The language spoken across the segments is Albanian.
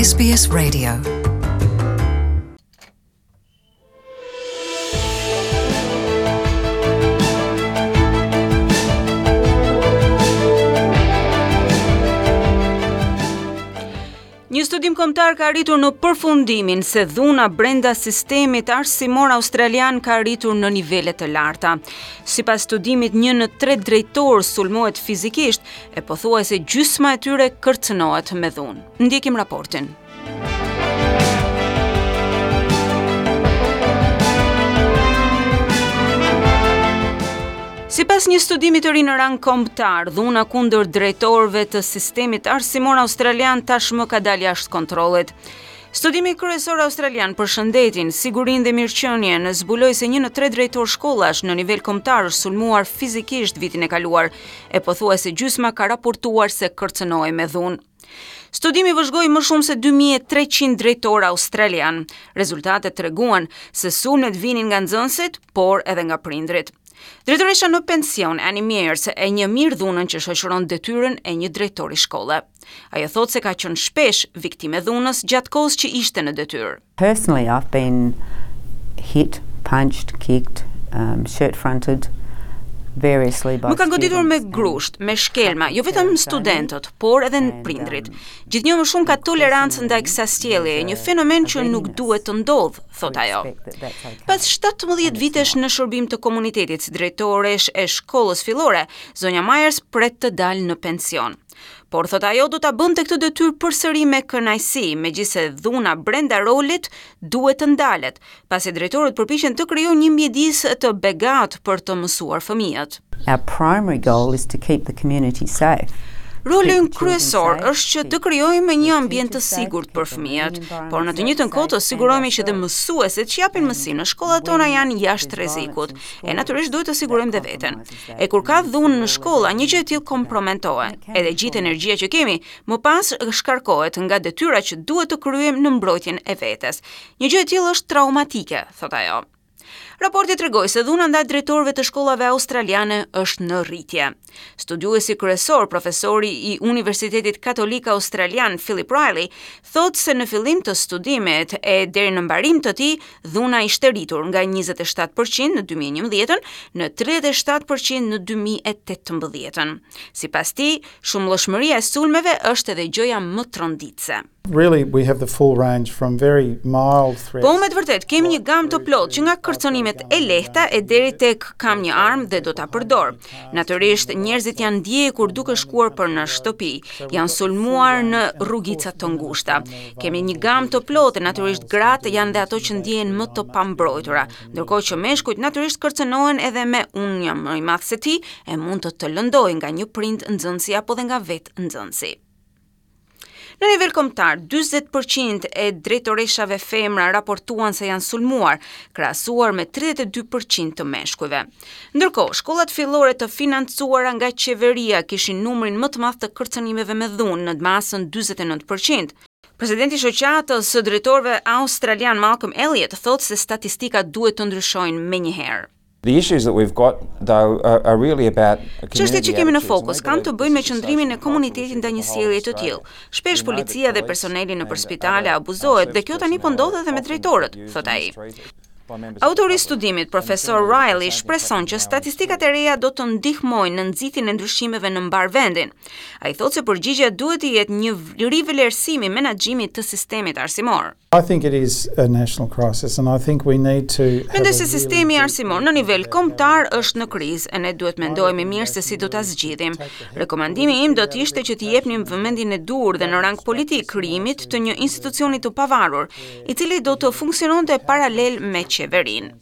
SBS Radio. Një studim kombëtar ka arritur në përfundimin se dhuna brenda sistemit arsimor australian ka arritur në nivele të larta. Sipas studimit, një në tre drejtorë sulmohet fizikisht e pothuajse gjysma e tyre kërcënohet me dhunë. Ndjekim raportin. Sipas një studimi të ri në rang kombëtar, dhuna kundër drejtorëve të sistemit arsimor australian tashmë ka dalë jashtë kontrollit. Studimi kryesor australian për shëndetin, sigurinë dhe mirëqenien zbuloi se një në tre drejtorë shkollash në nivel kombëtar është sulmuar fizikisht vitin e kaluar, e pothuajse gjysma ka raportuar se kërcënohej me dhunë. Studimi vëzhgoi më shumë se 2300 drejtorë australianë. Rezultatet treguan se sulmet vinin nga nxënësit, por edhe nga prindërit. Drejtoresha në pension, Annie Mears, e njeh mirë dhunën që shoqëron detyrën e një drejtori shkolle. Ajo thotë se ka qenë shpesh viktimë e dhunës gjatë kohës që ishte në detyrë. Personally, I've been hit, punched, kicked, um, shirt-fronted, variously by Më kanë goditur me grusht, me shkelma, jo vetëm studentët, por edhe um, prindërit. Gjithnjë më shumë ka tolerancë ndaj kësaj sjelljeje, një fenomen që nuk duhet të ndodhë, thotë ajo. Pas 17 vitesh në shërbim të komunitetit si drejtoreshë e shkollës fillore, zonja Myers pret të dalë në pension. Por thotë ajo do ta bënte këtë detyrë përsëri me kënaqësi, megjithëse dhuna brenda rolit duhet të ndalet, pasi drejtorët përpiqen të krijojnë një mjedis të begatë për të mësuar fëmijët. Our primary goal is to keep the community safe. Roli ynë kryesor është që të krijojmë një ambient të sigurt për fëmijët, por në të njëjtën kohë të sigurohemi që dhe mësuesit që japin mësim në shkollat tona janë jashtë rrezikut. E natyrisht duhet të sigurojmë dhe veten. E kur ka dhunë në shkolla, një gjë e tillë komprometohet. Edhe gjithë energjia që kemi, më pas shkarkohet nga detyra që duhet të kryejmë në mbrojtjen e vetes. Një gjë e tillë është traumatike, thotë ajo. Raporti tregoi se dhuna ndaj drejtorëve të shkollave australiane është në rritje. Studiuesi kryesor, profesori i Universitetit Katolik Australian Philip Riley, thotë se në fillim të studimit e deri në mbarim të tij, dhuna ishte rritur nga 27% në 2011-ën në 37% në 2018-ën. Sipas tij, shumëllojshmëria e sulmeve është edhe gjëja më tronditëse. Really we have the full range from very mild threats. Po me të vërtetë kemi një gamë të plotë që nga kërcënimet e lehta e deri tek kam një armë dhe do ta përdor. Natyrisht njerëzit janë ndjekur duke shkuar për në shtëpi, janë sulmuar në rrugica të ngushta. Kemi një gamë të plotë, natyrisht gratë janë dhe ato që ndjehen më të pambrojtura, ndërkohë që meshkujt natyrisht kërcënohen edhe me unë jam më i madh se ti e mund të të lëndoj nga një prind nxënësi apo dhe nga vetë nxënësi. Në nivel kombëtar, 40% e drejtoreshave femra raportuan se janë sulmuar, krahasuar me 32% të meshkujve. Ndërkohë, shkollat fillore të financuara nga qeveria kishin numrin më të madh të kërcënimeve me dhunë në masën 49%. Presidenti i shoqatës së drejtorëve australian Malcolm Elliott thotë se statistikat duhet të ndryshojnë menjëherë. The issues that we've got though are, are really about Çështjet që kemi në fokus kanë të bëjnë me qëndrimin e komunitetit ndaj një sjellje të tillë. Shpesh policia dhe personeli nëpër spitale abuzohet dhe kjo tani po ndodh edhe me drejtorët, thotë ai. Autori i studimit, profesor Riley, shpreson që statistikat e reja do të ndihmojnë në nxitjen e ndryshimeve në mbarë vendin. Ai thotë se përgjigja duhet të jetë një rivlerësim i menaxhimit të sistemit arsimor. I think it is a national crisis and I think we need to Mendoj se sistemi arsimor në nivel kombëtar është në krizë e ne duhet mendohemi mirë se si do ta zgjidhim. Rekomandimi im do të ishte që t'i jepnim vëmendjen e duhur dhe në rang politik krijimit të një institucioni të pavarur, i cili do të funksiononte paralel me qeverinë.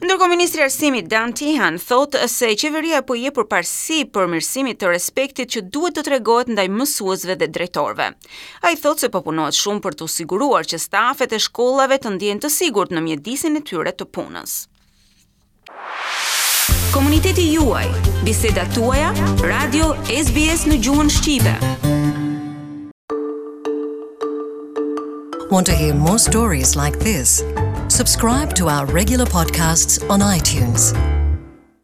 Ndërkohë ministri i Arsimit Dan Tehan thotë se qeveria po i jep përparësi përmirësimit të respektit që duhet të tregohet ndaj mësuesve dhe drejtorëve. Ai thotë se po punohet shumë për t'u siguruar që stafet e shkollave të ndjehen të sigurt në mjedisin e tyre të punës. Komuniteti juaj, bisedat tuaja, Radio SBS në gjuhën shqipe. Want to hear more stories like this? Subscribe to our regular podcasts on iTunes.